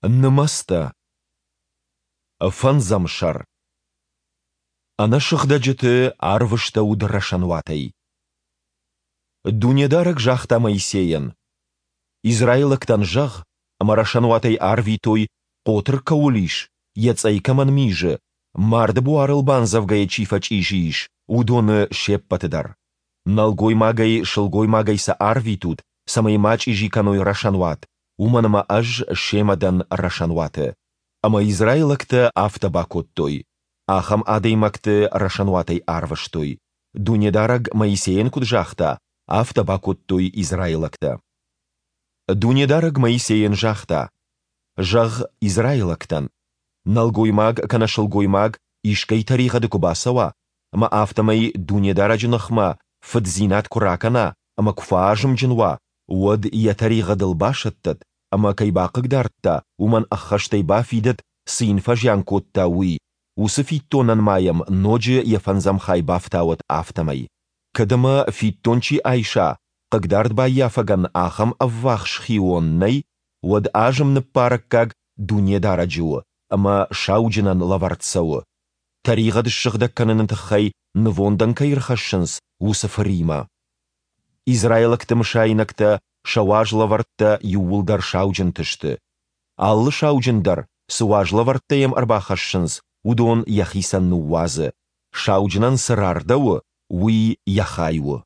Нымӕцтӕ. Фӕндзӕм сӕр. Ӕнӕсыгъдӕджыты арвыстӕуыд рӕсӕнуатӕй. Дунедарӕг загъта Моисейӕн: Израилӕгтӕн зӕгъ, ӕмӕ рӕсӕнуатӕй арвитой, хъотыр кӕуыл ис, йӕ цъӕй кӕмӕн мизы, марды буарыл бандзӕвгӕйӕ чи фӕчъизи ис, уыдоны се ппӕты дӕр. Нӕлгоймагӕй, сылгоймагӕй сӕ арвитут, цӕмӕй ма чъизи кӕной рӕсӕнуат, уымӕн ӕмӕ Ӕз семӕ дӕн рӕсӕнуаты. Ӕмӕ израилӕгтӕ афтӕ бакодтой. Ахӕм адӕймӕгты рӕсӕнуатӕй арвыстой. Дунедарӕг Моисейӕн куыд загъта, афтӕ бакодтой израилӕгтӕ. Дунедарӕг Моисейӕн загъта, Зӕгъ израилӕгтӕн, нӕлгоймаг кӕнӕ сылгоймаг искӕй тӕригъӕды куы бацӕуа, ӕмӕ афтӕмӕй Дунедарӕджы ныхмӕ фыддзинад куы ракӕна ӕмӕ куы фӕазымджын уа, уӕд йӕ тӕригъӕдыл басӕттӕд ӕмӕ кӕй бахъыгдардта, уымӕн ӕххӕстӕй бафидӕд, цы йын фӕзиан кодта, уый, уыцы фиддонӕн ма йӕм ноджы йӕ фӕндзӕм хай бафтауӕд, афтӕмӕй. Кӕд ӕмӕ фиддон чи айса, хъыгдардбаййафӕгӕн ахӕм ӕввахс хион нӕй, уӕд азым ныббарӕггаг Дунедарӕджы у ӕмӕ сауджынӕн лӕвӕрд цӕуы, тӕригъӕд ссыгъдӕг кӕныны тыххӕй нывондӕн кӕй ӕрхӕссынц, уыцы фыримӕ. Израилӕгты мысайнӕгтӕ, сӕ уазлӕвӕрттӕ иууылдӕр сауджынты сты. Алы сауджын дӕр, цы уазлӕвӕрттӕ йӕм ӕрбахӕссынц, уыдон йӕхицӕн ныууадзы, сауджынӕн цы рардӕуы, уый йӕ хай у.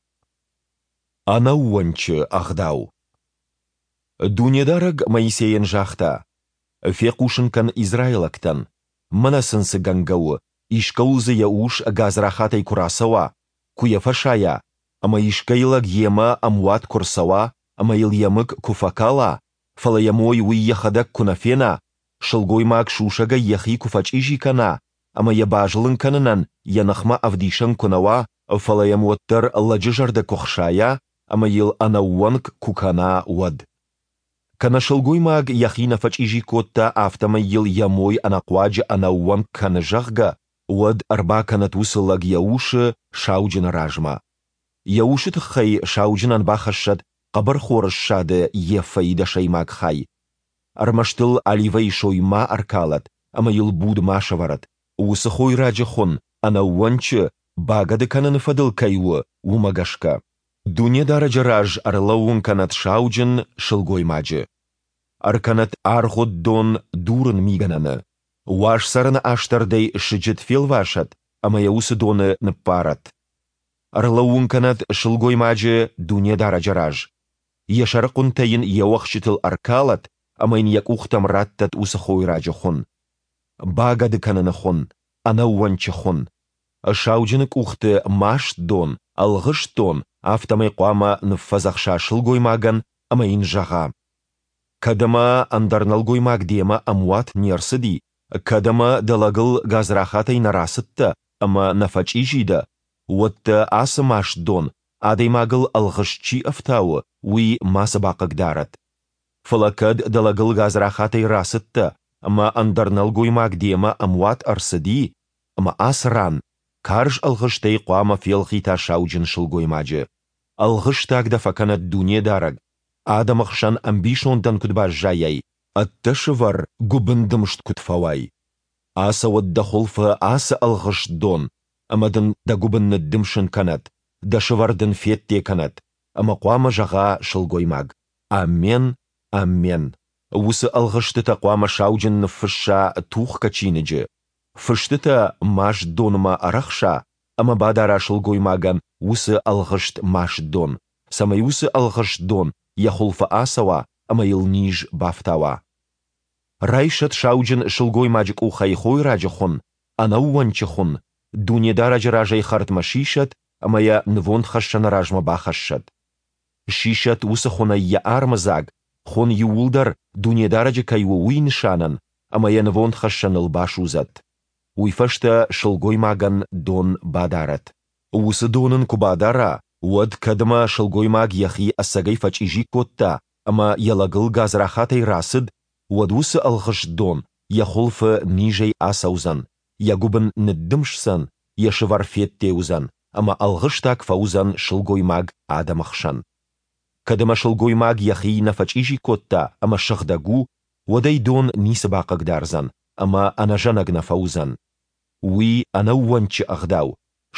Ӕнӕууӕнчы ӕгъдау. Дунедарӕг Моисейӕн загъта, Фехъусын кӕн израилӕгтӕн, мӕнӕ сын цы гӕнгӕ у, искӕуыл дзы йӕ ус гадзрахатӕй куы рацӕуа, куы йӕ фӕсайа, ӕмӕ искӕй лӕг йемӕ ӕмуат куы рцӕуа ӕмӕ йыл йӕ мыг куы фӕкала, фӕлӕ йӕ мой уый йӕхӕдӕг куы нӕ фена, сылгоймаг сусӕгӕй йӕхи куы фӕчъизи кӕна ӕмӕ йӕ базылын кӕнынӕн йӕ ныхмӕ ӕвдисӕн куы нӕ уа, фӕлӕ йӕм уӕддӕр лӕджы зӕрдӕ куы хсайа ӕмӕ йыл ӕнӕууӕнк куы кӕна, уӕд. Кӕнӕ сылгоймаг йӕхи нӕ фӕчъизи кодта, афтӕмӕй йыл йӕ мой ӕнӕхъуаджы ӕнӕууӕнк кӕны, зӕгъгӕ, уӕд ӕрбакӕнӕд уыцы лӕг йӕ усы сауджыны размӕ. Йӕ усы тыххӕй сауджынӕн бахӕссӕд хъӕбӕрхоры ссады ефӕйы дӕсӕймаг хай. Ӕрмӕст ыл оливӕйы сой ма ӕркалӕд ӕмӕ йыл буд ма сӕвӕрӕд, уыцы хойраджы хуын ӕнӕууӕнчы багӕды кӕныны фӕдыл кӕй у, уымӕ гӕсгӕ. Дунедарӕджы раз ӕрлӕууын кӕнӕд сауджын сылгоймаджы. Ӕркӕнӕд аргъуыд дон дурын мигӕнӕны. Уаз цӕрӕны астӕрдӕй сыджыт фелвасӕд ӕмӕ йӕ уыцы доны ныппарӕд. Ӕрлӕууын кӕнӕд сылгоймаджы Дунедарӕджы раз. Йӕ сӕрыхъуынтӕ йын йе уӕхсчытыл ӕркалӕд ӕмӕ йын йӕ къухтӕм раттӕд уыцы хойраджы хуын. Багӕды кӕныны хуын, ӕнӕууӕнчы хуын. Сауджыны къухты маст дон, ӕлгъыст дон, афтӕмӕй хъуамӕ ныффӕдзӕхса сылгоймагӕн ӕмӕ йын зӕгъа: Кӕд ӕмӕ ӕндӕр нӕлгоймаг демӕ ӕмуат не рцыди, кӕд ӕмӕ дӕ лӕгыл гадзрахатӕй нӕ рацыдтӕ ӕмӕ нӕ фӕчъизи дӕ, уӕд дӕ ацы маст дон, адӕймагыл ӕлгъыст чи ӕфтауы, уый мацы бахъыгдарӕд. Фӕлӕ кӕд дӕ лӕгыл гадзрахатӕй рацыдтӕ ӕмӕ ӕндӕр нӕлгоймаг демӕ ӕмуат ӕрцыди, ӕмӕ ацы ран карз ӕлгъыстӕй хъуамӕ фелгъита сауджын сылгоймаджы. Ӕлгъыстаг дӕ фӕкӕнӕд Дунедарӕг, адӕмы хсӕн ӕмбисондӕн куыд баззайай, ӕддӕсывӕр гуыбындымст куыд фӕуай. Ацӕуӕд дӕ хуылфы ацы ӕлгъыст дон ӕмӕ дын дӕ гуыбын ныддымсын кӕнӕд, дӕ сывӕр дын федде кӕнӕд, ӕмӕ хъуамӕ зӕгъа сылгоймаг, Аммен, аммен. Уыцы ӕлгъыстытӕ хъуамӕ сауджын ныффысса тухгӕ чиныджы, фыстытӕ маст донмӕ ӕрӕхса ӕмӕ бадара сылгоймагӕн уыцы ӕлгъыст маст дон, цӕмӕй уыцы ӕлгъыст дон йӕ хуылфы ацӕуа ӕмӕ йыл низ бафтауа. Райсӕд сауджын сылгоймаджы къухӕй хойраджы хуын, ӕнӕууӕнчы хуын, Дунедарӕджы разӕй хӕрдмӕ сисӕд ӕмӕ йӕ нывондхӕссӕны размӕ бахӕссӕд. Сисӕд уыцы хуынӕй йӕ армыдзаг, хуын иууылдӕр Дунедарӕджы кӕй у, уый нысанӕн, ӕмӕ йӕ нывондхӕссӕныл басудзӕд. Уый фӕстӕ сылгоймагӕн дон бадарӕд. Уыцы дон ын куы бадара, уӕд кӕд ӕмӕ сылгоймаг йӕхи ӕцӕгӕй фӕчъизи кодта ӕмӕ йӕ лӕгыл гадзрахатӕй рацыд, уӕд уыцы ӕлгъыст дон йӕ хуылфы низӕй ацӕудзӕн, йӕ гуыбын ныддымсдзӕн, йӕ сывӕр федде уыдзӕн, ӕмӕ ӕлгъыстаг фӕуыдзӕн сылгоймаг адӕмы хсӕн. Кӕд ӕмӕ сылгоймаг йӕхи нӕ фӕчъизи кодта ӕмӕ сыгъдӕг у, уӕд ӕй дон ницы бахъыгдардзӕн ӕмӕ ӕнӕзӕнӕг нӕ фӕуыдзӕн. Уый ӕнӕууӕнчы ӕгъдау,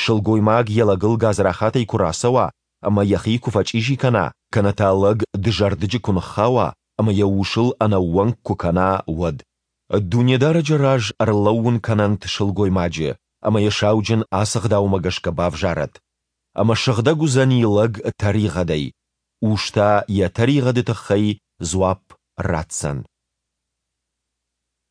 сылгоймаг йӕ лӕгыл гадзрахатӕй куы рацӕуа ӕмӕ йӕхи куы фӕчъизи кӕна, кӕнӕ та лӕг дызӕрдыджы куы ныххауа ӕмӕ йӕ усыл ӕнӕууӕнк куы кӕна, уӕд. Дунедарӕджы раз ӕрлӕууын кӕнӕнт сылгоймаджы, ӕмӕ йӕ сауджын ацы гъдаумӕ гӕсгӕ бавзарӕд. Ӕмӕ сыгъдӕг уыдзӕни лӕг тӕригъӕдӕй, ус та йӕ тӕригъӕды тыххӕй дзуапп ратдзӕн.